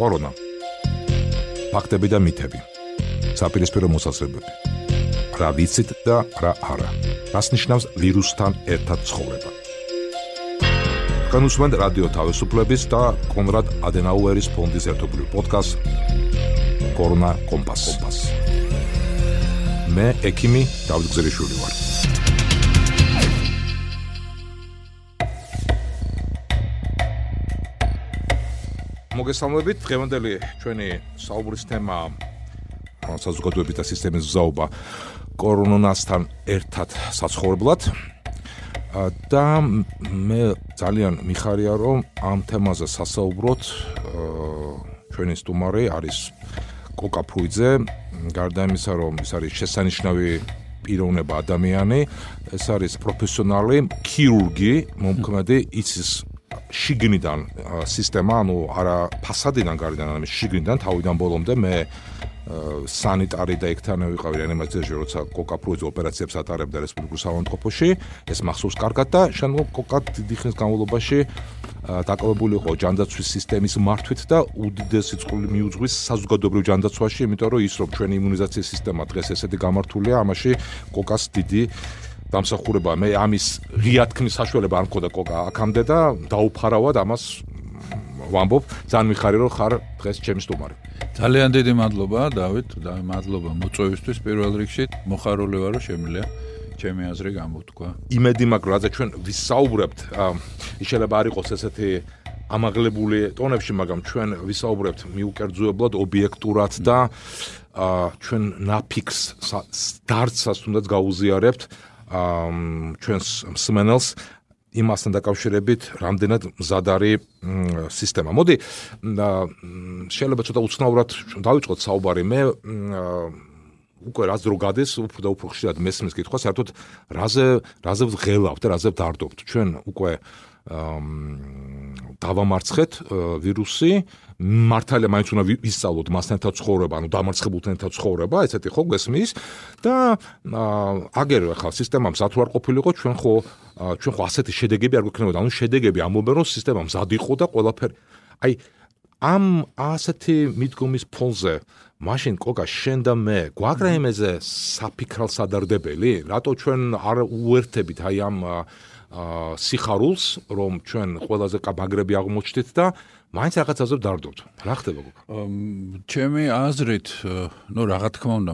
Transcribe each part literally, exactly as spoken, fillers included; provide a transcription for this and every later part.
კორონა. ფაქტები და მითები. საპირისპირო მოსაზრებები. რა ვიცით და რა არა. რას ნიშნავს ვირუსთან ერთად ცხოვრება. განუსმენთ რადიო თავისუფლების და კონრად ადენაუერის ფონდის ერთობლივ პოდკასტ კორონა კომპას. მე ექიმი დავით გზელიშვილი ვარ. მოგესალმებით, დღევანდელი ჩვენი საუბრის თემა საზოგადოების და სისტემის გზაობა კორონასთან ერთად საცხოვრებლად. და მე ძალიან მიხარია, რომ ამ თემაზე სასაუბროთ ჩვენი სტუმარი არის კოკა ფრუიძე, გარდა იმისა, რომ ის არის შესანიშნავი პიროვნება ადამიანი, ეს არის პროფესიონალი ქირურგი, მომქმედი, იცის შიგნიდან სისტემა, ანუ არა ფასადიდან გარედან, არამედ შიგნიდან თავიდან ბოლომდე მე სანიტარი და ექთანე ვიყავი რეანიმაციაში, როცა კოკა ფრუიძე ოპერაციებს ატარებდა რესპუბლიკურ საავადმყოფოში, ეს მახსოვს კარგად და შემდგომ კოკა დიდი ხნის განმავლობაში დაკავებული იყო ჯანდაცვის სისტემის მართვით და უდიდესი წყული მიუძღვის საზოგადოებრივ ჯანდაცვაში, იმიტომ რომ ის რომ ჩვენი იმუნიზაციის სისტემა დღეს ესეთი გამართულია, ამაში კოკას დიდი დამსახურება. მე ამის ღია თქმის საშუალება არ მქონდა კოკა აქამდე და დაუფარავად ამას ვამბობ. ძალიან მიხარია, რომ ხარ დღეს ჩემი სტუმარი. ძალიან დიდი მადლობა, დავით, და მადლობა მოწვევისთვის პირველ რიგში. მოხარული ვარ, რომ შემიძლია ჩემი აზრი გამოთქვა. იმედი მაქვს, რაზე ჩვენ ვისაუბრებთ, შეიძლება არ იყოს ესეთი ამაღლებული ტონებში, მაგრამ ჩვენ ვისაუბრებთ მიუკერძოებლად, ობიექტურად და ჩვენ ნაფიქს დარცას თუნდაც გაუზიარებთ ჩვენს მსმენელს იმასთან დაკავშირებით, რამდენად მზად არის სისტემა. მოდი, შეიძლება ცოტა უცნაურად დავიწყოთ საუბარი. მე უკვე რაც დრო გადის, უფრო და უფრო ხშირად მესმის კითხვა, საერთოდ რაზე რაზე ვღელავთ და რაზე ვდარდობთ. ჩვენ უკვე დავამარცხეთ ვირუსი, მართალია მაინც უნდა ვისწავლოთ მასთან ერთად ცხოვრება, ანუ დამარცხებულთან ერთად ცხოვრება, ესეთი ხო გესმის და აგერ ახლა სისტემა მზად არ ყოფილიყო, ჩვენ ხო ჩვენ ხო ასეთი შედეგები არ გვექნებოდა, ანუ შედეგები ამბობენ, რომ სისტემა მზად იყო და ყველაფერი. აი ამ ასეთი მიდგომის ფონზე მაშინ კოკა შენ და მე გვაქვს იმეზე საფიქრალ სადარდებელი, რატო ჩვენ არ უერთებით აი ამ სიხარულს, რომ ჩვენ ყველაზე კაბაგრები აღმოჩნდით და მაინც რაღაცაზე ვდარდობთ. რა ხდება გოგო? ჩემი აზრით, ნუ რა თქმა უნდა,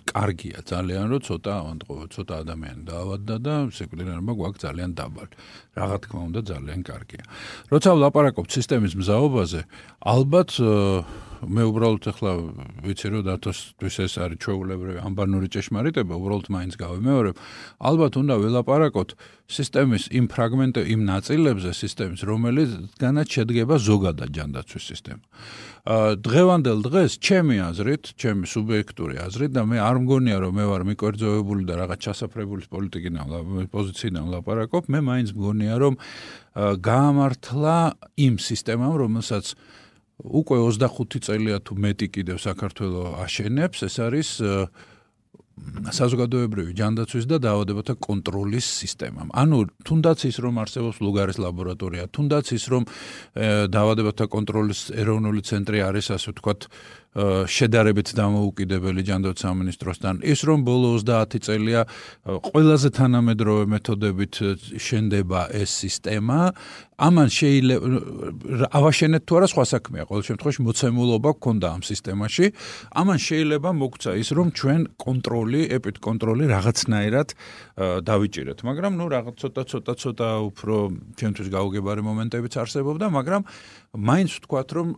კარგია ძალიან, რომ ცოტა ავადმყოფა, ცოტა ადამიანი დაავადდა და სეკვდილიანობა გვაქვს ძალიან დაბალი. რა თქმა უნდა, ძალიან კარგია. როცა ვლაპარაკობთ სისტემის მზაობაზე, ალბათ მე უბრალოდ ახლა ვიცი, რომ დათოსთვის ეს არის ჩვეულებრივი ამბანური ჭეშმარიტება, უბრალოდ მაინც გავიმეორებ. ალბათ უნდა ველაპარაკოთ სისტემის იმ ფრაგმენტ იმ ნაწილებზე სისტემის, რომელიცგანაც შედგება ზოგადად ჯანდაცვის სისტემა. დღევანდელ დღეს ჩემი აზრით, ჩემი სუბიექტური აზრით და მე არ მგონია, რომ მე ვარ მიკერძოებული და რაღაც ჩასაფრებული პოლიტიკიდან პოზიციიდან ვლაპარაკობ, მე მაინც მგონია, რომ გაამართლა იმ სისტემამ, რომელსაც უკვე ოცდახუთი წელია თუ მეტი კიდევ საქართველოს აშენებს, ეს არის საზოგადოებრივი ჯანდაცვის და დაავადებათა კონტროლის სისტემა. ანუ თუნდაც ის რომ არსებობს ლუგარის ლაბორატორია, თუნდაც ის რომ დაავადებათა კონტროლის ეროვნული ცენტრი არის, ასე ვთქვათ, შედარებით დამოუკიდებელი ჯანდაცვის სამინისტროსთან, ის რომ ბოლო ოცდაათი წელია ყველაზე თანამედროვე მეთოდებით შენდება ეს სისტემა, ამან შეიძლება ავაშენეთ თუ არა სხვა საქმეა, ყოველ შემთხვევაში მოცემულობა გქონდა ამ სისტემაში, ამან შეიძლება მოგცა ის რომ ჩვენ კონტროლი, ეპიდკონტროლი რაღაცნაირად დავიჭირეთ, მაგრამ ნუ რაღაც ცოტა ცოტა ცოტა უფრო ჩვენთვის გაუგებარი მომენტებიც არსებობდა, მაგრამ მაინც ვთქვათ რომ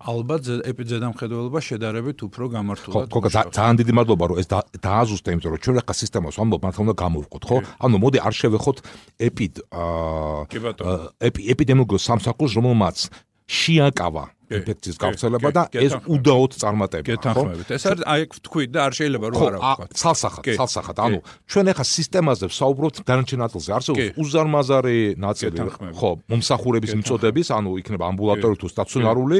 ალბათ ეპიდზედამხედველობა შედარებით უფრო გამართულად. ხო, ძალიან დიდი მადლობა რომ ეს დააზუსტე, იმიტომ რომ ჩვენ ახლა სისტემას ვამბობ, მართლა უნდა გამოვყოთ, ხო? ანუ მოდი არ შევეხოთ ეპიდ ეპიდემიოლოგიურ სამსახურს, რომელმაც შეაკავა ინფექციის გავრცელება და ეს უდაოდ წარმატებაა. გეთანხმებით. ეს არის აი ვთქვით და არ შეიძლება რომ არა ვთქვათ. ცალსახად, ცალსახად. ანუ ჩვენ ახლა სისტემაზე ვსაუბრობთ დანარჩენ ნაწილზე. არსებობს უზარმაზარი ნაწილი, ხო, მომსახურების მიწოდების, ანუ იქნება ამბულატორიული თუ სტაციონარული.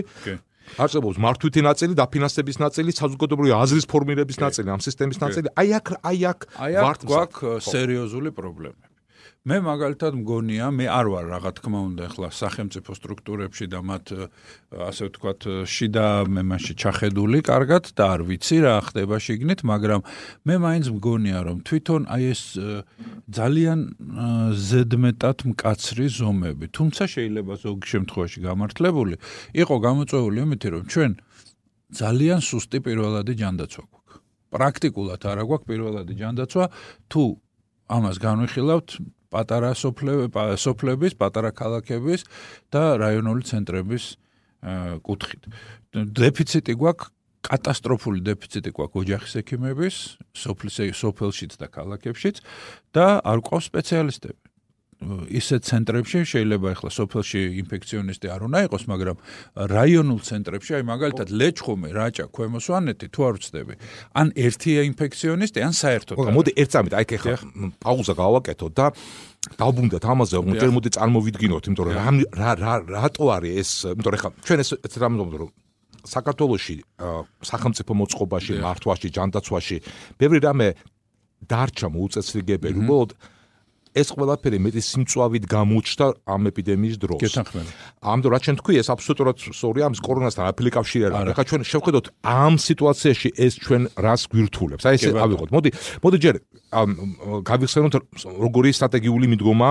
არსებობს მართვითი ნაწილი, დაფინანსების ნაწილი, საზოგადოებრივი აზრის ფორმირების ნაწილი, ამ სისტემის ნაწილი. აი აქ აი აქ ვართ გვაქვს სერიოზული პრობლემები. მე მაგალითად მგონია, მე არ ვარ რა თქმა უნდა ახლა სახელმწიფო სტრუქტურებში და მათ ასე ვთქვათ შიდა მე მასში ჩახედული კარგად და არ ვიცი რა ხდება შიგნით, მაგრამ მე მაინც მგონია რომ თვითონ აი ეს ძალიან ზედმეტად მკაცრი ზომები, თუმცა შეიძლება ზოგი შემთხვევაში გამართლებული იყო გამოწვეული იმითი რომ ჩვენ ძალიან სუსტი პირველადი ჯანდაცვა გვაქვს. პრაქტიკულად არა გვაქვს პირველადი ჯანდაცვა, თუ ამას განვიხილავთ პატარა სოფლების, პატარა ქალაქების და რაიონული ცენტრების კუთხით. დეფიციტი გვაქვს, კატასტროფული დეფიციტი გვაქვს ოჯახის ექიმების, სოფელშიც და ქალაქებშიც და არ გვყავს სპეციალისტები. ისეთ ცენტრებში შეიძლება ახლა სოფელში ინფექციონისტი არ უნდა იყოს, მაგრამ რაიონულ ცენტრებში, აი მაგალითად ლეჩხუმი, რაჭა, ქვემო სვანეთი, თუ არ ვცდები, ან ერთია ინფექციონისტი, ან საერთოდ. მოდი ერთ წამით, აი ხე პაუზა გავაკეთოთ და დავბრუნდეთ ამაზე, რომ მოდი წარმოვიდგინოთ, იმიტომ რომ რა რა რატო არის ეს, იმიტომ რომ ხა ჩვენ ეს რამ ვამბობთ, რომ საქართველოში სახელმწიფო მოწყობაში, მართვაში, ჯანდაცვაში ბევრი რამე დარჩა მოუწესრიგებელი, უბრალოდ ეს ყველაფერი მეტი სიმწვავით გამოჩნდა ამ ეპიდემიის დროს. ამიტომ რაც ჩვენ თქვი, ეს აბსოლუტურად სწორია, ამის კორონასთან არაფერი კავშირი არ აქვს. ახლა ჩვენ შევხედოთ ამ სიტუაციაში ეს ჩვენ რას გვირთულებს. აი ესე ავიღოთ. მოდი, მოდი ჯერ გავიხსენოთ როგორი სტრატეგიული მიდგომა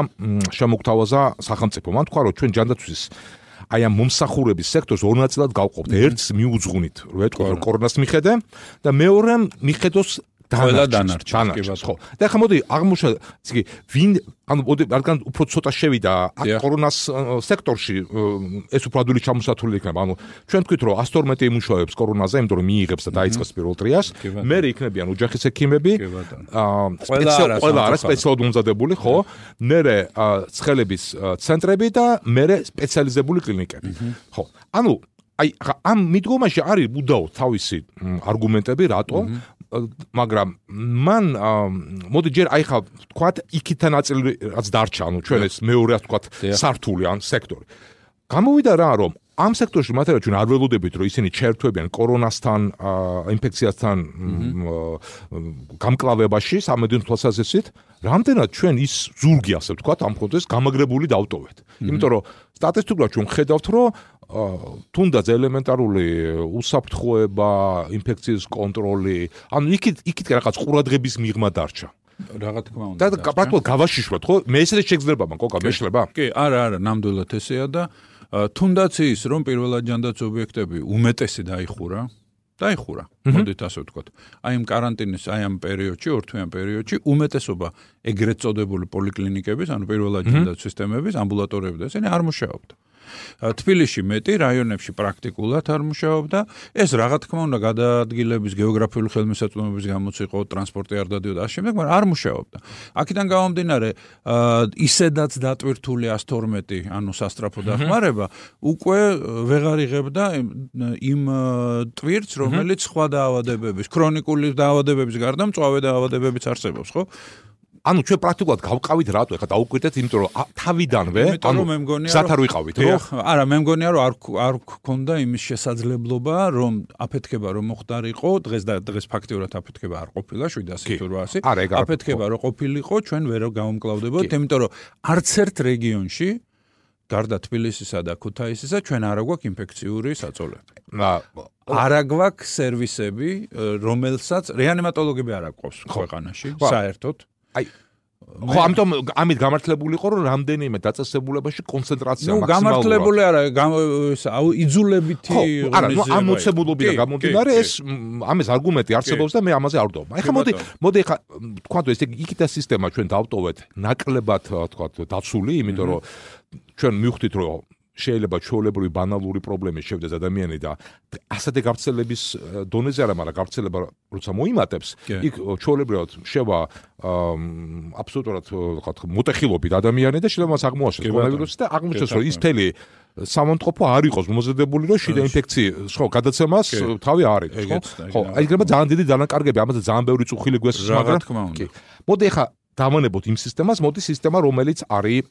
შემოგთავაზა სახელმწიფომ. მან თქვა, რომ ჩვენ ჯანდაცვის აი ამ მომსახურების სექტორს ორ ნაწილად გავყოფთ. ერთს მიუძღვნით, რო ეთქვა რომ კორონას მიხედე და მეორე მიხედოს ყველა დანარჩენს, ხო. და ახლა მოდი აღმოჩნდა, ისე ვინ ანუ მოდი რადგან უფრო ცოტა შევიდა აქ კორონას სექტორში ეს უფრო ადვილი ჩამოსათვლელი იქნება. ანუ ჩვენ თქვით რომ ათს თორმეტი იმუშავებს კორონაზე, იმიტომ რომ მიიღებს და დაიწყებს პირველ ტრიას. მე იქნებიან ოჯახის ექიმები, აა ყველა არა სპეციალურად უმზადებული, ხო? მე ცხელების ცენტრები და მე სპეციალიზებული კლინიკები. ხო. ანუ აი ამ მიდგომაში არის უდაოდ თავისი არგუმენტები, რატო მაგრამ მან მოდი ჯერ აი ხა თქვათ იქითა ნაწილი რაც დარჩა, ანუ ჩვენ ეს მეორე ასე თქვათ სართული ან სექტორი. გამოვიდა რა რომ ამ სექტორში მათერა ჩვენ არ ველოდებით რომ ისინი ჩაერთვებიან კორონასთან, ინფექციასთან გამკლავებაში სამედიცინო თვალსაზრისით, რამდენად ჩვენ ის ზურგი ასე ვთქვათ ამ პროცესს გამაგრებული დავტოვეთ. იმიტომ რომ სტატისტიკურად ჩვენ ხედავთ რომ თუნდაც ელემენტარული უსაფრთხოება, ინფექციის კონტროლი, ანუ იქით იქით რაღაც ყურადღების მიღმა დარჩა. რა თქმა უნდა. და პრაქტიკულად გავაშიშვათ, ხო? მე ესეც შეგძლება მან, კოკა, მეშლება? კი, არა, არა, ნამდვილად ესეა და თუნდაც ის რომ პირველად ჯანდაცვის ობიექტები უმეტესი დაიხურა, დაიხურა. მოდით ასე ვთქვათ. აი ამ каранტინის, აი ამ პერიოდში, ორთვიან პერიოდში უმეტესობა ეგრეთ წოდებული პოლიკლინიკების, ანუ პირველად ჯანდაცვის სისტემების, ამბულატორიები და ესენი არ მუშაობდა. თბილისში მეტი, რაიონებში პრაქტიკულად არ მუშაობდა. ეს რა თქმა უნდა გადაადგილების, გეოგრაფიული ხელმისაწვდომების გამოც იყო, ტრანსპორტი არ დადიოდა ამ შემდეგ, მაგრამ არ მუშაობდა. აქედან გამომდინარე, ისედაც დატვირთული ათს თორმეტი, ანუ სასტრაფო დახმარება, უკვე ვეღარ იღებდა იმ ტვირთს, რომელიც სხვა დაავადებების, ქრონიკული დაავადებების გარდა მწვავე დაავადებებიც არსებობს, ხო? ანუ ჩვენ პრაქტიკულად გავყავით რატო ახლა დაუკვირდეთ, იმიტომ რომ თავიდანვე ანუ მე მგონია გზად არ ვიყავით, რომ არა, მე მგონია რომ არ არ გქონდა იმის შესაძლებლობა, რომ აფეთქება რომ მოხდარიყო, დღეს და დღეს ფაქტიურად აფეთქება არ ყოფილა შვიდასი თუ რვაასი. აფეთქება რომ ყოფილიყო, ჩვენ ვერ გამომკლავდებოდით, იმიტომ რომ არც ერთ რეგიონში გარდა თბილისისა და ქუთაისისა ჩვენ არ გვაქვს ინფექციური საწოლები. არა გვაქვს სერვისები, რომელსაც რეანიმატოლოგები არ აქვს ქვეყანაში, საერთოდ. აი ხო, ამიტომ ამით გამართლებული იყო რომ რამდენიმე დაწესებულებაში კონცენტრაცია მაქსიმალურია. ნუ გამართლებული არა, აუ იძულებითი ღონისძიება. არა, ნუ ამ მოცემულობიდან გამომდინარე ეს ამის არგუმენტი არსებობს და მე ამაზე არ ვდობა. ეხლა მოდი, მოდი ეხლა თქვა ეს იქითა სისტემა ჩვენ დავტოვეთ ნაკლებად თქვა დაცული, იმიტომ რომ ჩვენ მივხვდით რომ შეიძლება ჩვეულებრივი ბანალური პრობლემის შევდეს ადამიანი და ასეთი გავრცელების დონეზე არა, მაგრამ გავრცელება როცა მოიმატებს, იქ ჩვეულებრივად შევა აბსოლუტურად ვთქვათ მოტეხილობით ადამიანი და შეიძლება მას აღმოაჩენს კორონავირუსი და აღმოჩნდეს რომ ის მთელი სამონტყოფო არ იყოს მომზადებული რომ შიდა ინფექციის ხო გადაცემას თავი არის, ხო? ხო, აი იქნება ძალიან დიდი დანაკარგები, ამაზე ძალიან ბევრი წუხილი გვესწრებს, მაგრამ კი. მოდი ახლა დავანებოთ იმ სისტემას, მოდი სისტემა, რომელიც არის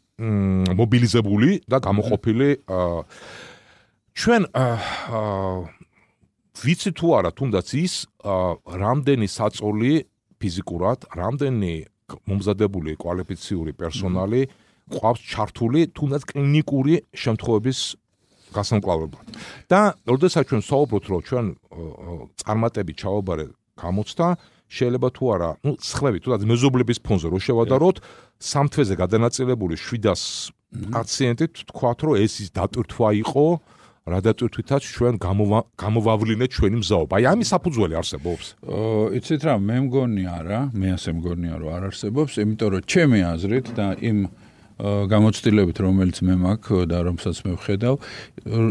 მობილიზებული და გამოყოფილი. ჩვენ ვიცი თუ არა, თუნდაც ის რამდენი საწოლი ფიზიკურად, რამდენი მომზადებული კვალიფიციური პერსონალი ყავს ჩართული თუნდაც კლინიკური შემთხვევების გასამკლავებლად. და როდესაც ჩვენ საუბრობთ, რომ ჩვენ წარმატებით ჩავაბარე გამოცდა, შეიძლება თუ არა, ну, სხვები, თუნდაც მეზობლების ფონზე რო შევადაროთ, სამ თვეზე გადანაწილებული შვიდას პაციენტი თქვათ, რომ ეს ის დატვირთვა იყო, რა დატვირთვითაც ჩვენ გამოვავლინეთ ჩვენი მზაობა. აი, ამის საფუძველი არსებობს. იცით რა, მე მგონი არა, მე ასე მგონია, რომ არ არსებობს, იმიტომ რომ ჩემი აზრით და იმ გამოცდილებით, რომელიც მე მაქვს და რომელსაც მე ვხედავ,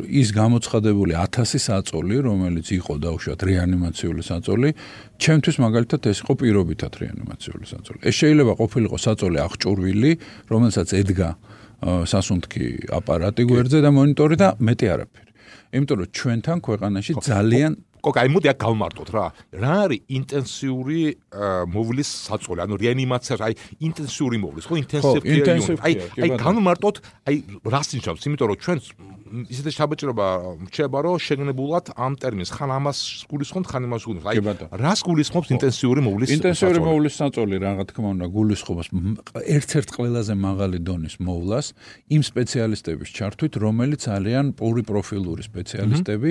ის გამოცხადებული ათასი საწოლი, რომელიც იყო დაუშვათ რეანიმაციული საწოლი, ჩემთვის მაგალითად ეს იყო პირობითად რეანიმაციული საწოლი. ეს შეიძლება ყოფილიყო საწოლი აღჭურვილი, რომელსაც ედგა სასუნთქი აპარატი გვერდზე და მონიტორი და მეტი არაფერი. იმიტომ რომ ჩვენთან ქვეყანაში ძალიან კოკა, აი მოდი აქ გავმარტოთ რა. რა არის ინტენსიური მოვლის საწოლი? ანუ რეანიმაცია, აი ინტენსიური მოვლის, ხო, ინტენსივ კეირ. აი, აი გავმარტოთ, აი რას ნიშნავს? იმიტომ რომ ჩვენ ისეთი შაბეჭრობა რჩება, რომ შეგნებულად ამ ტერმინს ხან ამას გულისხმობთ, ხან იმას გულისხმობთ. აი, რას გულისხმობს ინტენსიური მოვლის საწოლი? ინტენსიური მოვლის საწოლი, რა თქმა უნდა, გულისხმობს ერთ-ერთ ყველაზე მაღალი დონის მოვლას იმ სპეციალისტების ჩართვით, რომელიც ძალიან პოლიპროფილური სპეციალისტები,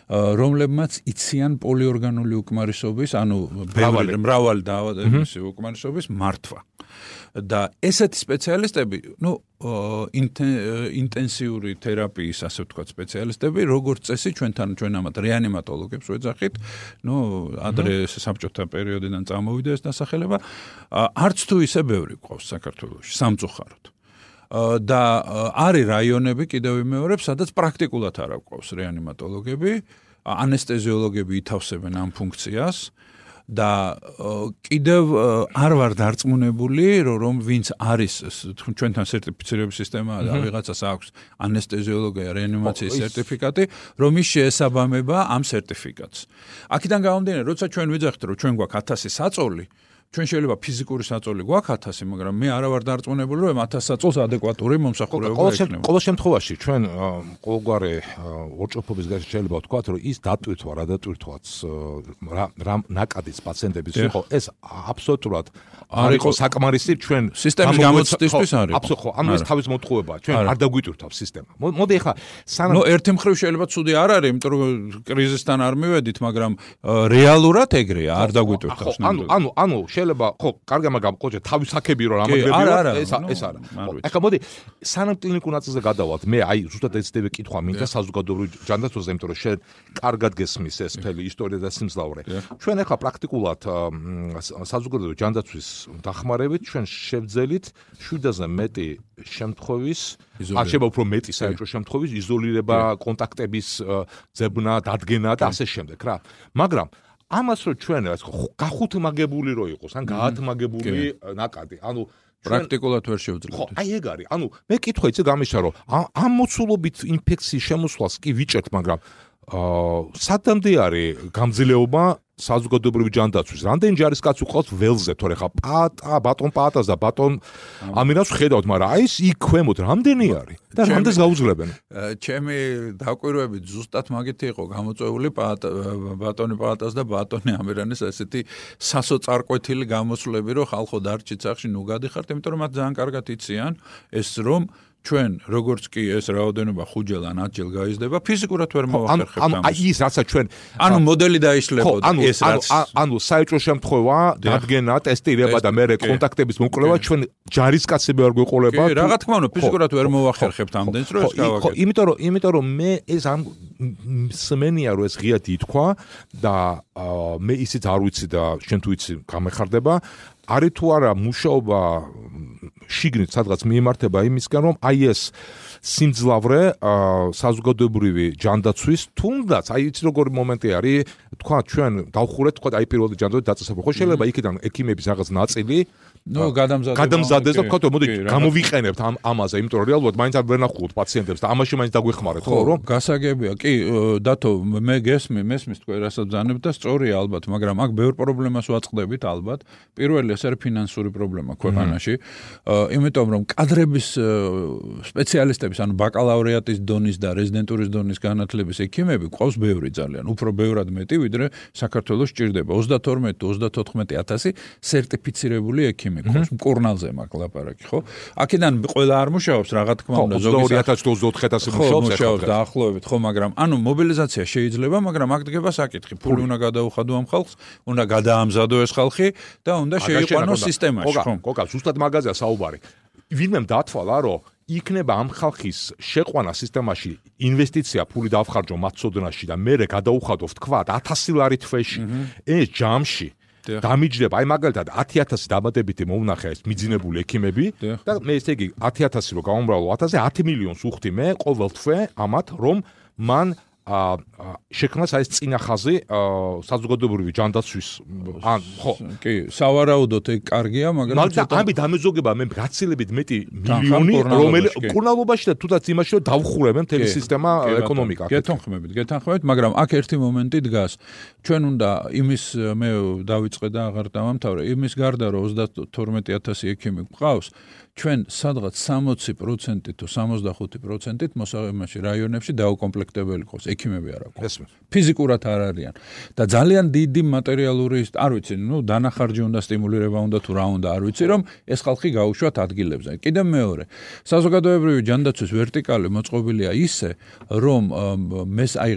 რომლებმაც იციან პოლიორგანული უკმარისობის, ანუ მრავალი მრავალი დაავადების უკმარისობის მართვა. და ესეთი სპეციალისტები, ну, ინტენსიური თერაპიის, ასე ვთქვათ, სპეციალისტები, როგორც წესი ჩვენთან ჩვენ ამათ რეანიმატოლოგებს ვეძახით, ну, ადრე საბჭოთა პერიოდიდან წამოვიდა ეს დასახელება, არც თუ ისე ბევრი ყავს საქართველოში, სამწუხაროდ. და არის რაიონები კიდევ ვიმეორებ, სადაც პრაქტიკულად არ აქვს რეანიმატოლოგები, ანესტეზიოლოგები ითავსებენ ამ ფუნქციას. და კიდევ არ ვარ დარწმუნებული, რომ ვინც არის ჩვენთან სერტიფიცირების სისტემაა და ვიღაცას აქვს ანესტეზიოლოგია, რეანიმაციის სერტიფიკატი, რომ ის შეესაბამება ამ სერტიფიკატს. აქედან გამომდინარე, როცა ჩვენ ვიძახით, რომ ჩვენ გვაქვს ათასი საწოლი, ჩვენ შეიძლება ფიზიკური საწოლი გვაქვს ათასი, მაგრამ მე არა ვარ დარწმუნებული, რომ ათას საწოლს ადეკვატური მომსახურება ექნება. ყოველ შემთხვევაში ჩვენ ყოველგვარი ორჭოფობის გარშემო შეიძლება ვთქვათ, რომ ის დატვირთვა, რა დატვირთვაც რა ნაკადის პაციენტების იყო, ეს აბსოლუტურად არ იყო საკმარისი ჩვენ სისტემის გამოცდისთვის არის. აბსოლუტურად, ანუ ეს თავის მოტყუებაა, ჩვენ არ დაგვიტვირთავს სისტემა. მოდი ახლა სანამ ნუ ერთი მხრივ შეიძლება ცუდი არ არის, იმიტომ რომ კრიზისთან არ მივედით, მაგრამ რეალურად ეგრეა, არ დაგვიტვირთავს. ანუ ანუ ანუ შეიძლება ხო, კარგი, მაგრამ ყოჭე თავის აქები რო რამაგრებია, ეს ეს არა. ახლა მოდი სანამ კლინიკურ ნაწილზე გადავალთ, მე აი ზუსტად ეცდები კითხვა მინდა საზოგადოებრივ ჯანდაცვაზე, იმიტომ რომ შენ კარგად გესმის ეს მთელი ისტორია და სიმძლავრე. ჩვენ ახლა პრაქტიკულად საზოგადოებრივ ჯანდაცვის დახმარებით ჩვენ შევძელით შვიდაზე მეტი შემთხვევის, ან შეიძლება უფრო მეტი საერთო შემთხვევის იზოლირება, კონტაქტების ძებნა, დადგენა და ასე შემდეგ რა. მაგრამ ამას რო ჩვენ რა გახუთმაგებული რო იყოს, ან გაათმაგებული ნაკადი. ანუ პრაქტიკულად ვერ შევძლებთ. ხო, აი ეგ არის. ანუ მე კითხვა იცი გამიშა რომ ამ მოცულობით ინფექციის შემოსვლას კი ვიჭერთ, მაგრამ აა სადამდე არის გამძლეობა საზოგადოებრივი ჯანდაცვის. რამდენი ჯარისკაცი ყავს ველზე, თორე ხა პატა, ბატონ პატას და ბატონ ამინას ხედავთ, მაგრამ აი ეს იქ ქვემოთ რამდენი არის და რამდენს გაუძლებენ? ჩემი დაკვირვებით ზუსტად მაგითი იყო გამოწვეული ბატონი პატას და ბატონი ამირანის ესეთი სასოწარკვეთილი გამოსვლები, რომ ხალხო დარჩით სახში ნუ გადიხართ, იმიტომ რომ მათ ძალიან კარგად იციან ეს რომ ჩვენ როგორც კი ეს რაოდენობა ხუთჯერ ან ათჯერ გაიზრდება, ფიზიკურად ვერ მოვახერხებთ ამას. ანუ აი ის რაცა ჩვენ ანუ მოდელი დაიშლებოდა ეს რაც ანუ საერთო შემთხვევა, დადგენა, ტესტირება და მე კონტაქტების მოკვლევა ჩვენ ჯარისკაცები არ გვეყოლება. კი, რა თქმა უნდა, ფიზიკურად ვერ მოვახერხებთ ამდენს, რომ ეს გავაკეთო. ხო, იმიტომ რომ იმიტომ რომ მე ეს ამ სმენია რომ ეს ღიად ითქვა და მე ისიც არ ვიცი და შენ თუ იცი გამეხარდება, არის თუ არა მუშაობა შიგნით სადღაც მიემართება იმისგან, რომ აი ეს სიმძლავრე საზოგადოებრივი ჯანდაცვის თუნდაც აი იცი როგორი მომენტი არის, თქვა ჩვენ დავხურეთ, თქვა აი პირველი ჯანდაცვის დაწესება. ხო შეიძლება იქიდან ექიმების რაღაც ნაწილი ნუ გადამზადდეს გადამზადდეს და თქვა მოდი გამოვიყენებთ ამ ამაზე, იმიტომ რომ რეალურად მაინც არ ვერნახულობთ პაციენტებს და ამაში მაინც დაგვეხმარეთ, ხო რომ გასაგებია. კი, დათო, მე გესმი, მესმის თქვენ რასაც ბრძანებთ და სწორია ალბათ, მაგრამ აქ ბევრ პრობლემას ვაწყდებით ალბათ. პირველი ეს არის ფინანსური პრობლემა ქვეყანაში. იმიტომ რომ კადრების სპეციალისტების, ანუ ბაკალავრიატის დონის და რეზიდენტურის დონის განათლების ექიმები ყავს ბევრი ძალიან, უფრო ბევრად მეტი, ვიდრე საქართველოს სჭირდება. ოცდათორმეტი ოცდათოთხმეტი ათასი სერტიფიცირებული ექიმი ექიმი გქონს, მკურნალზე მაქვს ლაპარაკი, ხო? აქედან ყველა არ მუშაობს, რა თქმა უნდა, ზოგი ორი ათას ოცდაოთხი ათასი მუშაობს, მუშაობს დაახლოებით, ხო, მაგრამ ანუ მობილიზაცია შეიძლება, მაგრამ აქ დგება საკითხი, ფული უნდა გადაუხადო ამ ხალხს, უნდა გადაამზადო ეს ხალხი და უნდა შეიყვანოს სისტემაში, ხო? გოგა, ზუსტად მაგაზეა საუბარი. ვინმემ დათვალა, რომ იქნება ამ ხალხის შეყვანა სისტემაში ინვესტიცია ფული დავხარჯო მათ სოდნაში და მე გადაუხადო თქვა ათასი ლარი თვეში ეს ჯამში დამიჯდება აი მაგალითად ათი ათასი დამატებითი მოვნახე ეს მიძინებული ექიმები და მე ესე იგი ათი ათასი რო გავუმრავლო ათასზე ათი მილიონს უხდი მე ყოველ თვე ამათ რომ მან შექმნას აი ეს წინა ხაზი საზოგადოებრივი ჯანდაცვის ან ხო კი სავარაუდოდ ეგ კარგია მაგრამ ცოტა ამი დამეზოგება მე გაცილებით მეტი მილიონი რომელი მკურნალობაში და თუნდაც იმაში რომ დავხურებენ მთელი სისტემა ეკონომიკა გეთანხმებით გეთანხმებით მაგრამ აქ ერთი მომენტი დგას ჩვენ უნდა იმის მე დავიწყე და აღარ დავამთავრე იმის გარდა რომ ოცდათორმეტი ათასი ექიმი გვყავს ჩვენ სადღაც სამოცი პროცენტი თუ სამოცდახუთი პროცენტით მოსახლეობაში რაიონებში დაუკომპლექტებელი ყავს ექიმები არ აქვს ფიზიკურად არ არიან და ძალიან დიდი მატერიალური არ ვიცი ნუ დანახარჯი უნდა სტიმულირება უნდა თუ რა უნდა არ ვიცი რომ ეს ხალხი გაუშვათ ადგილებზე კიდევ მეორე საზოგადოებრივი ჯანდაცვის ვერტიკალი მოწყობილია ისე რომ მეს აი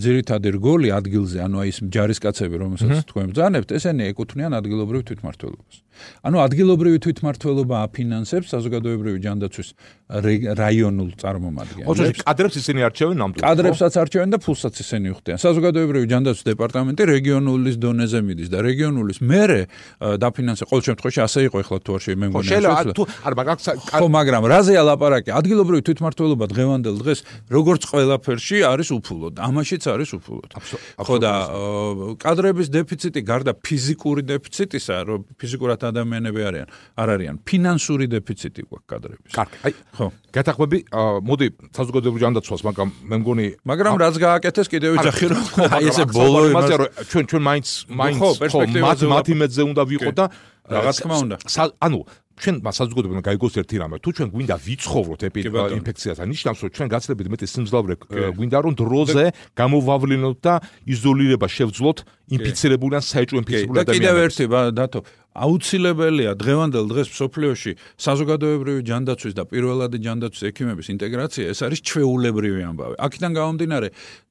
ძირითადი რგოლი ადგილზე ანუ აი ეს ჯარისკაცები რომელსაც თქვენ ბრძანებთ ესენი ეკუთვნიან ადგილობრივ თვითმმართველობას ანუ ადგილობრივი თვითმმართველობა აფინანსებს საზოგადოებრივი ჯანდაცვის რაიონულ წარმომადგენლებს. ოღონდ კადრებს ისინი არჩევენ ნამდვილად. კადრებსაც არჩევენ და ფულსაც ისინი უხდიან. საზოგადოებრივი ჯანდაცვის დეპარტამენტი რეგიონულის დონეზე მიდის და რეგიონულის მერე დაფინანსება ყოველ შემთხვევაში ასე იყო ეხლა თუ არ მე მგონია. შეიძლება თუ არ მაგ ხო მაგრამ რაზეა ლაპარაკი? ადგილობრივი თვითმმართველობა დღევანდელ დღეს როგორც ყველაფერში არის უფულოდ. ამაშიც არის უფულოდ. ხო და კადრების დეფიციტი გარდა ფიზიკური დეფიციტისა, რომ ფიზიკურად ადამიანები არიან, არ არიან ფინანსური დეფიციტი გვაქვს კადრების. კარგი, აი, ხო. გეთახმები, მოდი საზოგადოებრივ ჯანდაცვას, მაგრამ მე მგონი მაგრამ რაც გააკეთეს კიდევ ვიძახი რომ აი ესე ბოლო იმაზე რომ ჩვენ ჩვენ მაინც მაინც ხო მათ იმედზე უნდა ვიყოთ და რაღაც თქმა უნდა. ანუ ჩვენ საზოგადოებრივ გაიგოს ერთი რამე თუ ჩვენ გვინდა ვიცხოვროთ ინფექციასთან ნიშნავს რომ ჩვენ გაცილებით მეტი სიმძლავრე გვინდა რომ დროზე გამოვავლინოთ და იზოლირება შევძლოთ ინფიცირებული ან საეჭვო ინფიცირებული ადამიანებს. და კიდევ ერთი დათო აუცილებელია დღევანდელ დღეს მსოფლიოში საზოგადოებრივი ჯანდაცვის და პირველადი ჯანდაცვის ექიმების ინტეგრაცია ეს არის ჩვეულებრივი ამბავი. აქედან გამომდინარე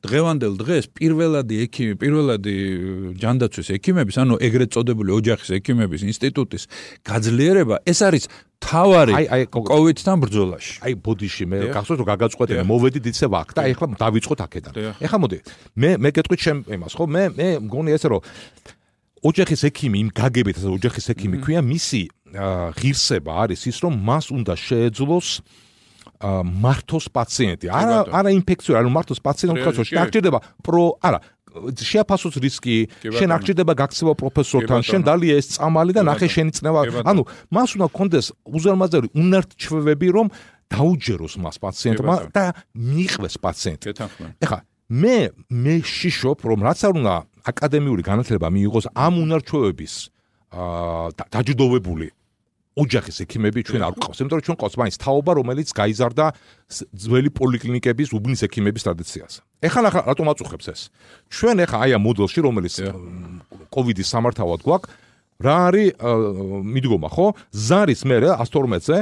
დღევანდელ დღეს პირველადი ექიმი, პირველადი ჯანდაცვის ექიმების, ანუ ეგრეთ წოდებული ოჯახის ექიმების ინსტიტუტის გაძლიერება ეს არის თავარი კოვიდთან ბრძოლაში. აი ბოდიში მე გახსოვს რომ გაგაწყვეტე მოვედით ისე ვაკ და ეხლა დავიწყოთ აქედან. ეხლა მოდი მე მე გეტყვით შენ იმას ხო მე მე მგონი ესე რომ ოჯახის ექიმი იმ გაგებით ასე ოჯახის ექიმი ქვია მისი ღირსება არის ის რომ მას უნდა შეეძლოს მართოს პაციენტი არა არა ინფექციური არა მართოს პაციენტი უკაცო შეაგჭირდება პრო არა შეაფასოს რისკი შენ აღჭირდება გაქცევა პროფესორთან შენ დალია ეს წამალი და ნახე შენი წნევა ანუ მას უნდა კონდეს უზარმაზარი უნარჩვევები რომ დაუჯეროს მას პაციენტმა და მიიღოს პაციენტი ეხლა მე მე შიშობ რომ რაც არ უნდა აკადემიური განათლება მიიღოს ამ უნარჩვევების დაჯილდოვებული ოჯახის ექიმები ჩვენ არ გვყავს, იმიტომ რომ ჩვენ ყავს მაინც თაობა, რომელიც გაიზარდა ძველი პოლიკლინიკების უბნის ექიმების ტრადიციაზე. ეხლა ნახა რატომ აწუხებს ეს? ჩვენ ეხლა აი ამ მოდელში, რომელიც კოვიდის სამართავად გვაქვს, რა არის მიდგომა, ხო? ზარის მერე εκατს თორმეტზე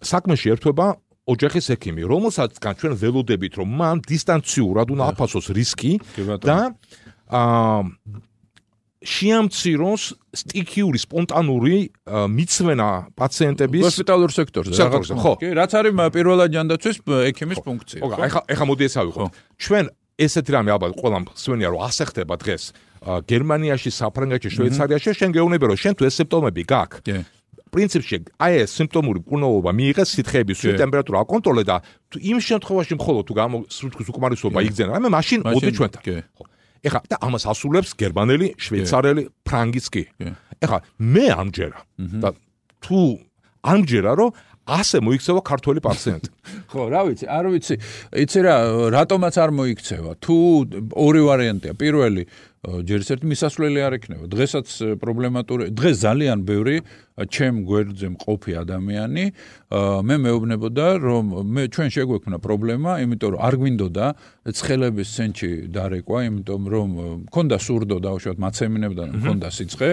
საქმეში ერთვება ოჯახის ექიმი, რომელსაც ჩვენ ველოდებით, რომ მან დისტანციურად უნდა აფასოს რისკი და აა შეამციროს სტიქიური სპონტანური მიცვენა პაციენტების ჰოსპიტალურ სექტორზე სექტორზე ხო კი რაც არის პირველად ჯანდაცვის ექიმის ფუნქცია ხო ეხა ეხა მოდი ეს ავიღოთ ჩვენ ესეთი რამე ალბათ ყველამ სვენია რომ ასე ხდება დღეს გერმანიაში საფრანგეთში შვეიცარიაში შენ გეუბნები რომ შენ თუ ეს სიმპტომები გაქვს პრინციპში აი ეს სიმპტომური მკურნალობა მიიღეს სითხეების სულ ტემპერატურა აკონტროლე და იმ შემთხვევაში მხოლოდ თუ გამოსურთქვის უკმარისობა იგზენა მე მაშინ მოდი ჩვენთან ხო ეხლა და ამას ასრულებს გერმანელი, შვეიცარელი, ფრანგიც კი. ეხლა მე ამჯერა და თუ ამჯერა რომ ასე მოიქცევა ქართველი პაციენტი. ხო, რა ვიცი, არ ვიცი. იცი რა, რატომაც არ მოიქცევა. თუ ორი ვარიანტია. პირველი ჯერ ერთ მისასვლელი არ ექნება. დღესაც პრობლემატური, დღეს ძალიან ბევრი ჩემ გვერდზე მყოფი ადამიანი მე მეუბნებოდა, რომ მე ჩვენ შეგვექმნა პრობლემა, იმიტომ რომ არ გვინდოდა ცხელების ცენტრი დარეკვა, იმიტომ რომ მქონდა სურდო დაუშვათ მაცემინებდა, მქონდა სიცხე.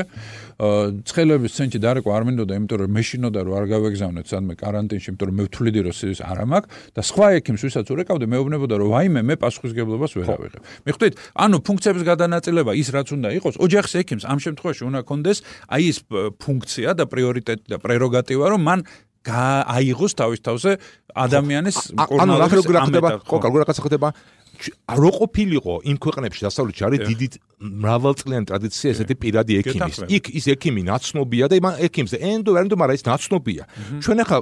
ცხელების ცენტრი დარეკვა არ მინდოდა, იმიტომ რომ მეშინოდა რომ არ გავეგზავნეთ სადმე კარანტინში, იმიტომ რომ მე ვთვლიდი რომ ის არ ამაქვს და სხვა ექიმს ვისაც ურეკავდი, მეუბნებოდა რომ ვაიმე მე პასუხისგებლობას ვერ ავიღებ. მიხვდით? ანუ ფუნქციების გადანაწილება ის რაც უნდა იყოს, ოჯახის ექიმს ამ შემთხვევაში უნდა კონდეს აი ის ფუნქცია და პრიორიტეტი და პრეროგატივა, რომ მან აიღოს თავის თავზე ადამიანის კორონავირუსის ამეტა. ხო, როგორ რაღაცა ხდება? რო ყოფილიყო იმ ქვეყნებში დასავლეთში არის დიდი მრავალწლიანი ტრადიცია ესეთი პირადი ექიმის. იქ ის ექიმი ნაცნობია და იმ ექიმზე ენდო ვერენდო, მაგრამ ის ნაცნობია. ჩვენ ახლა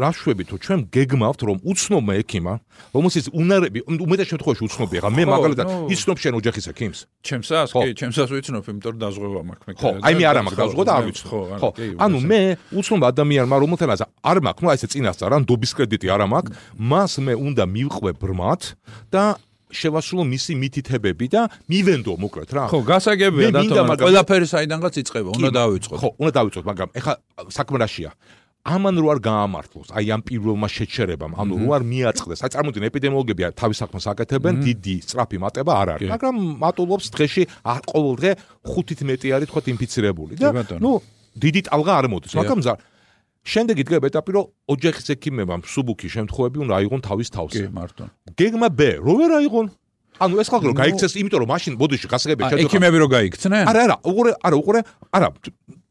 რა შვებით, რომ ჩვენ გეგმავთ, რომ უცნობმა ექიმა, რომელსაც უნარები, უმეტეს შემთხვევაში უცნობია. ახლა მე მაგალითად იცნობ შენ ოჯახის ექიმს? ჩემსას, კი, ჩემსას ვიცნობ, იმიტომ რომ დაზღვევა მაქვს მე. ხო, აი მე არა მაქვს დაზღვევა და არ ვიცნობ. ხო, ანუ მე უცნობ ადამიანმა, რომელთანაც არ მაქვს, ნუ აი ესე წინასწარ, ან დობის კრედიტი არ მაქვს, მას მე უნდა მივყვე ბრმად და შევასრულო მისი მითითებები და მივენდო მოკლედ რა. ხო, გასაგებია დათო, ყველაფერი საიდანღაც იწყება, უნდა დავიწყოთ. ხო, უნდა დავიწყოთ, მაგრამ ეხლა საქმე რაშია? ამან რო არ გაამართლოს, აი ამ პირველმა შეჩერებამ, ანუ რო არ მიაწყდეს. აი წარმოიდგინე ეპიდემიოლოგები თავის საქმეს აკეთებენ, დიდი სწრაფი მატება არ არის, მაგრამ მატულობს დღეში ყოველ დღე ხუთით მეტი არის თქვა ინფიცირებული და ნუ დიდი ტალღა არ მოდის, მაგრამ შემდეგ იდგება ეტაპი, რომ ოჯახის ექიმებამ სუბუქი შემთხვევები უნდა აიღონ თავის თავზე. კი, მართლა. გეგმა B, რო ვერ აიღონ. ანუ ეს ხალხი რო გაიქცეს, იმიტომ რომ მაშინ ბოდიში გასაგებია შეძო. ექიმები რო გაიქცნენ? არა, არა, უყურე, არა, უყურე, არა,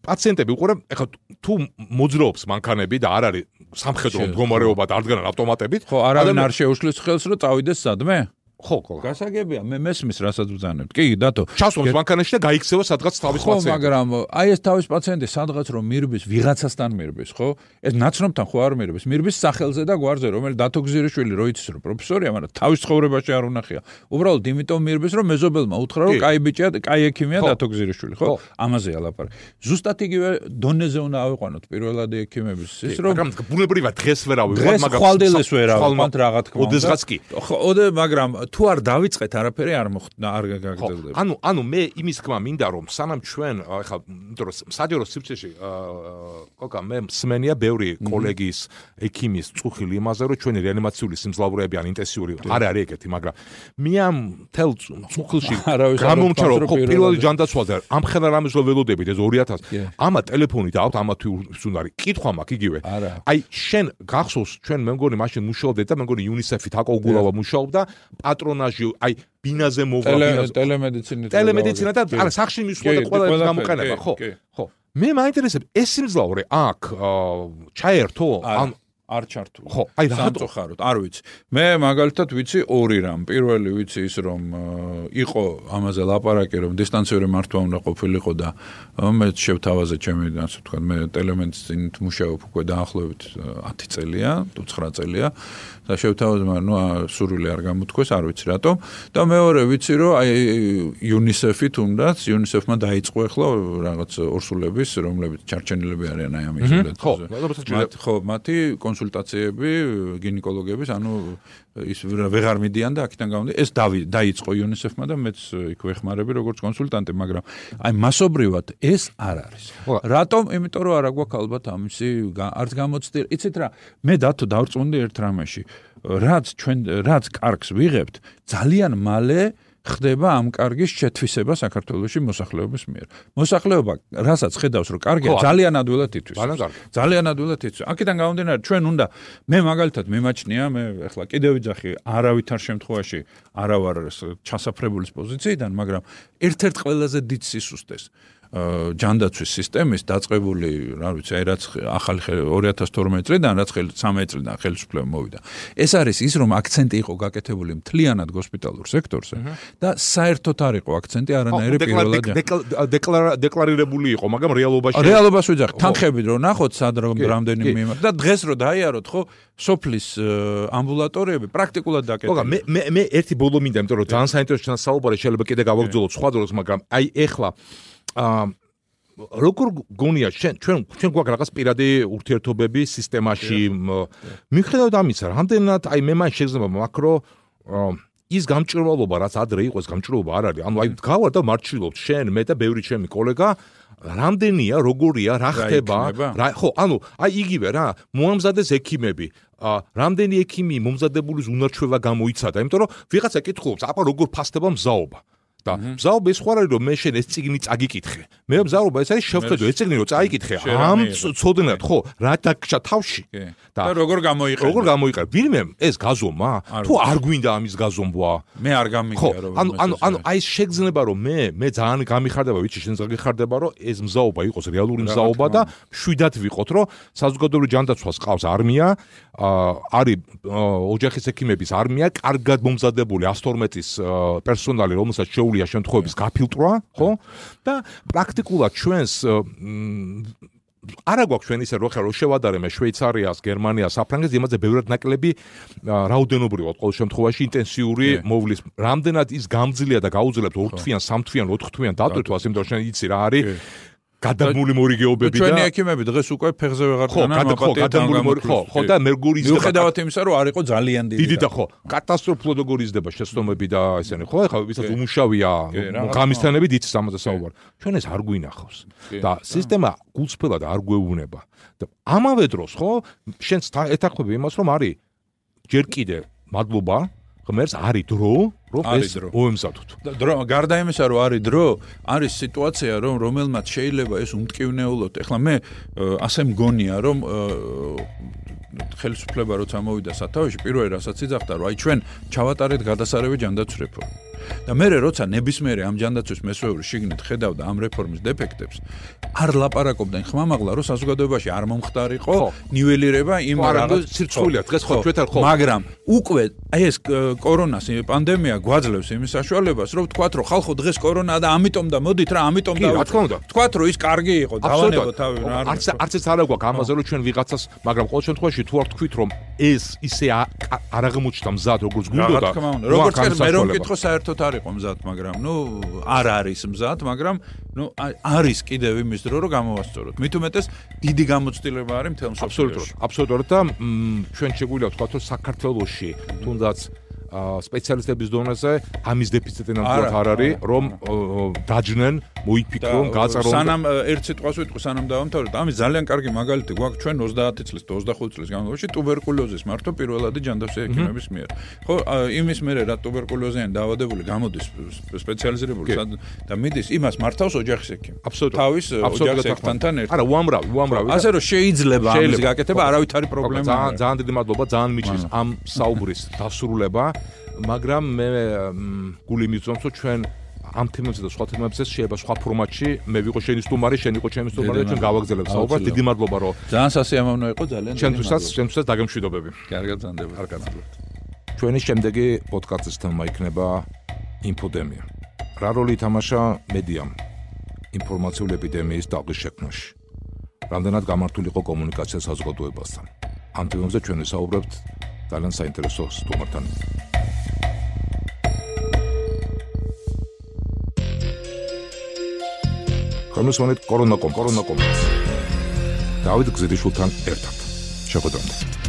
პაციენტები უყურე, ეხლა თუ მოძრაობს მანქანები და არ არის სამხედრო მდგომარეობა და არ დგანან ავტომატებით, ხო, არავინ არ შეუშლის ხელს, რომ წავიდეს სადმე? ხო, ხო. გასაგებია, მე მესმის რასაც ვზანებთ. კი, დათო. ჩასვამს მანქანაში და გაიქცევა სადღაც თავის პაციენტი. ხო, მაგრამ აი ეს თავის პაციენტი სადღაც რომ მირბის, ვიღაცასთან მირბის, ხო? ეს ნაცნობთან ხო არ მირბის, მირბის სახელზე და გვარზე, რომელიც დათო გზირიშვილი რო იცის რომ პროფესორია, მაგრამ თავის ცხოვრებაში არ უნახია. უბრალოდ იმიტომ მირბის, რომ მეზობელმა უთხრა, რომ კაი ბიჭია, კაი ექიმია დათო გზირიშვილი, ხო? ამაზეა ლაპარაკი. ზუსტად იგივე დონეზე უნდა ავიყვანოთ პირველადი ექიმების ის რომ მაგრამ ბუნებრივად დღეს ვერ ავიღოთ, მაგრამ ხვალდელეს ვერ ავიყვანთ რა თქმა უნდა. ოდესღაც კი. ხო, ოდე, მაგრამ თუ არ დავიწყეთ არაფერი არ მოხდა არ გაგრძელდება. ანუ ანუ მე იმის თქმა მინდა რომ სანამ ჩვენ ახლა იმიტომ რომ საჯარო სივრცეში კოკა მე მსმენია ბევრი კოლეგის ექიმის წუხილი იმაზე რომ ჩვენი რეანიმაციული სიმძლავრეები ან ინტენსიური არ არის ეგეთი, მაგრამ მე ამ თელ წუხილში გამომჩა რომ პირველი ჯანდაცვაზე ამ ხელა რამეს რო ველოდებით ეს ორი ათასი ამა ტელეფონი და აუთ ამა თუ უნდა კითხვა მაქვს იგივე. აი შენ გახსოვს ჩვენ მე მგონი მაშინ მუშაობდით და მე მგონი იუნისეფით აკო უგულავა მუშაობდა პატრონაჟი აი ბინაზე მოვა ბინაზე ტელემედიცინა ტელემედიცინა და არა სახში მისვლა და ყველა ეს გამოყენება ხო ხო მე მაინტერესებს ეს სიმძლავრე აქ ჩაერთო ან არ ჩართული. ხო, აი სამწუხაროდ, არ ვიცი. მე მაგალითად ვიცი ორი რამ. პირველი ვიცი ის რომ იყო ამაზე ლაპარაკი რომ დისტანციური მართვა უნდა ყოფილიყო და მე შევთავაზე ჩემი ასე ვთქვათ, მე ტელემედიცინით მუშაობ უკვე დაახლოებით ათი წელია, თუ ცხრა წელია და შევთავაზე, მაგრამ ნუ სურვილი არ გამოთქვეს, არ ვიცი რატომ. და მეორე ვიცი რომ აი იუნისეფი თუნდაც, იუნისეფმა დაიწყო ახლა რაღაც ორსულების, რომლებიც ჩარჩენილები არიან აი ამ იზოლაციაზე. ხო, მათი კონსულტაციები გინეკოლოგების, ანუ ის ვეღარ მიდიან და აქედან გამომდი ეს დაიწყო იუნისეფმა და მეც იქ ვეხმარები როგორც კონსულტანტი, მაგრამ აი მასობრივად ეს არ არის. რატომ? იმიტომ რომ არა გვაქვს ალბათ ამისი არც გამოცდი. იცით რა, მე დათო დავწუნდი ერთ რამეში. რაც ჩვენ რაც კარგს ვიღებთ, ძალიან მალე ხდება ამ კარგის შეთვისება საქართველოში მოსახლეობის მიერ. მოსახლეობა, რასაც ხედავს, რომ კარგია, ძალიან ადვილად ითვლის. ძალიან ადვილად ითვლის. აქედან გამომდინარე, ჩვენ უნდა მე მაგალითად მიმაჩნია, მე ახლა კიდევ ვიძახი, არავითარ შემთხვევაში არა ვარ ჩასაფრებულის პოზიციიდან, მაგრამ ერთ-ერთ ყველაზე დიდ სისუსტეს ჯანდაცვის სისტემის დაწყებული, რა ვიცი, აი რაც ახალი ორი ათას თორმეტი წლიდან, რაც სამი წლიდან ხელისუფლება მოვიდა. ეს არის ის, რომ აქცენტი იყო გაკეთებული მთლიანად გოსპიტალურ სექტორზე და საერთოდ არ იყო აქცენტი არანაირი პირველად დეკლარირებული იყო, მაგრამ რეალობაში რეალობას ვიძახი, თანხებით რო ნახოთ, სად რამდენი მიმართ და დღეს რო დაიაროთ, ხო, სოფლის ამბულატორიები პრაქტიკულად დაკეტილი. ხო, მე მე მე ერთი ბოლო მინდა, იმიტომ რომ ძალიან საინტერესო საუბარი შეიძლება კიდე გავაგრძელოთ სხვა დროს, მაგრამ აი ეხლა აა როგორ გონია ჩვენ ჩვენ ჩვენ გვაქვს რაღაც პირადი ურთიერთობები სისტემაში მიხედავთ ამისა რამდენად აი მე მან შეიძლება მაკრო ის გამჭირვალობა, რაც ადრე იყო, ეს გამჭირვალობა არ არის. ანუ აი გავარ და მარჩილობთ შენ, მე და ბევრი ჩემი კოლეგა, რამდენია, როგორია, რა ხდება, რა ხო, ანუ აი იგივე რა, მოამზადეს ექიმები. რამდენი ექიმი მომზადებულის უნარჩვევა გამოიცადა, იმიტომ რომ ვიღაცა კითხულობს, აბა როგორ ფასდება მზაობა. და მზაობა ის ხო არის რომ მე შენ ეს წიგნი წაგიკითხე. მე მზაობა ეს არის შევხედო ეს წიგნი რომ წაიკითხე. ამ ცოდნად ხო, რა დაგჭა თავში. და როგორ გამოიყენე? როგორ გამოიყენე? ვინმე ეს გაზომა? თუ არ გვინდა ამის გაზომვა? მე არ გამიგია რომ ანუ ანუ ანუ აი ეს შეგრძნება რომ მე მე ძალიან გამიხარდება, ვიცი შენ გიხარდება რომ ეს მზაობა იყოს რეალური მზაობა და შვიდად ვიყოთ რომ საზოგადოებრივ ჯანდაცვას ყავს არმია, არის ოჯახის ექიმების არმია, კარგად მომზადებული ათს თორმეტის პერსონალი, რომელსაც შეუძლია შემთხვევების გაფილტრვა, ხო? და პრაქტიკულად ჩვენს არა გვაქვს ჩვენ ისე რო ხარ რო შევადარებ მე შვეიცარიას, გერმანიას, საფრანგეთს, იმაზე ბევრად ნაკლები რაოდენობრივად ყოველ შემთხვევაში ინტენსიური მოვლის. რამდენად ის გამძლეა და გაუძლებთ ორთვიან, სამთვიან, ოთხთვიან დატვირთვას, იმიტომ რომ შენ იცი რა არის გადაგმული მორიგეობები და ჩვენი ექიმები დღეს უკვე ფეხზე ვეღარ დგანან, ხო, გადაგმული მორიგე, ხო, ხო და მერგური იზრდება. მიუხედავად იმისა, რომ არ იყო ძალიან დიდი. დიდი და ხო, კატასტროფულად როგორ იზრდება შეცდომები და ესენი, ხო, ეხლა ვისაც უმუშავია გამისთანებით იცის ამაზე საუბარი. ჩვენ ეს არ გვინახავს. და სისტემა გულწრფელად არ გვეუბნება. და ამავე დროს, ხო, შენს ეთანხმები იმას, რომ არის ჯერ კიდე მადლობა ღმერთს არის დრო, რომ ეს მოემზადოთ. დრო, გარდა იმისა, რომ არის დრო, არის სიტუაცია, რომ რომელმაც შეიძლება ეს უმტკივნეულოთ. ეხლა მე ასე მგონია, რომ ხელისუფლება როცა მოვიდა სათავეში, პირველი რასაც იძახდა, რომ აი ჩვენ ჩავატარეთ გადასარევი ჯანდაცვის რეფორმა. და მე როცა ნებისმიერი ამ ჯანდაცვის მესვეური შიგნით ხედავდა ამ რეფორმის დეფექტებს, არ ლაპარაკობდნენ ხმამაღლა, რომ საზოგადოებაში არ მომხდარიყო ნიველირება იმ რაღაც სირცხვილია დღეს ხო ჩვენთან ხო. მაგრამ უკვე აი ეს კორონას პანდემია გვაძლევს იმის საშუალებას, რომ ვთქვათ, რომ ხალხო დღეს კორონაა და ამიტომ და მოდით რა, ამიტომ და ვთქვათ, რომ ის კარგი იყო, დავანებო თავი რა. არც არც ეს არ აგვაქვს ამაზე, რომ ჩვენ ვიღაცას, მაგრამ ყოველ შემთხვევაში თუ არ თქვით, რომ ეს ისე არ აღმოჩნდა მზად, როგორც გვინდოდა, როგორც მე რომ მკითხო საერთოდ არ იყო მზად, მაგრამ ნუ არ არის მზად, მაგრამ ნუ არის კიდევ იმის დრო, რომ გამოვასწოროთ. მით უმეტეს დიდი გამოცდილება არის მთელ მსოფლიოში. აბსოლუტურად და ჩვენ შეგვიძლია ვთქვათ, რომ საქართველოში თუნდაც სპეციალისტების დონეზე ამის დეფიციტი ნამდვილად არ არის, რომ დაჯნენ, მოიფიქრონ, გააწერონ. სანამ ერთ სიტყვას ვიტყვი, სანამ დავამთავრებ, ამის ძალიან კარგი მაგალითი გვაქვს ჩვენ ოცდაათი წლის და ოცდახუთი წლის განმავლობაში ტუბერკულოზის მართვა პირველადი ჯანდაცვის ექიმების მიერ. ხო, იმის მერე რა ტუბერკულოზიანი დაავადებული გამოდის სპეციალიზირებული და მიდის, იმას მართავს ოჯახის ექიმი. თავის ოჯახის ექიმთან ერთად. არა, უამრავი, უამრავი. ასე რომ შეიძლება ამის გაკეთება, არავით არის პრობლემა. ძალიან ძალიან დიდი მადლობა, ძალიან მიჩნევს ამ საუბრის დასრულება. მაგრამ მე გული მიწვევს რომ ჩვენ ამ თემებზე და სხვა თემებზე შეიძლება სხვა ფორმატში მე ვიყო შენი სტუმარი, შენ იყო ჩემი სტუმარი და ჩვენ გავაგზავნებთ საუბარს. დიდი მადლობა რომ ძალიან სასიამოვნო იყო, ძალიან. ჩვენთვისაც, ჩვენთვისაც დაგემშვიდობები. კარგად ზანდება. კარგად. ჩვენი შემდეგი პოდკასტის თემა იქნება ინფოდემია. რა როლი ითამაშა მედიამ ინფორმაციული ეპიდემიის დაღის შექმნაში? რამდენად გამართული იყო კომუნიკაცია საზოგადოებასთან? ამ თემებზე ჩვენ ვისაუბრებთ ძალიან საინტერესო სტუმართან. კომისიონით კორონაკომ, კორონაკომ. დავით გზირიშვილთან ერთად. შეხვედრამდე.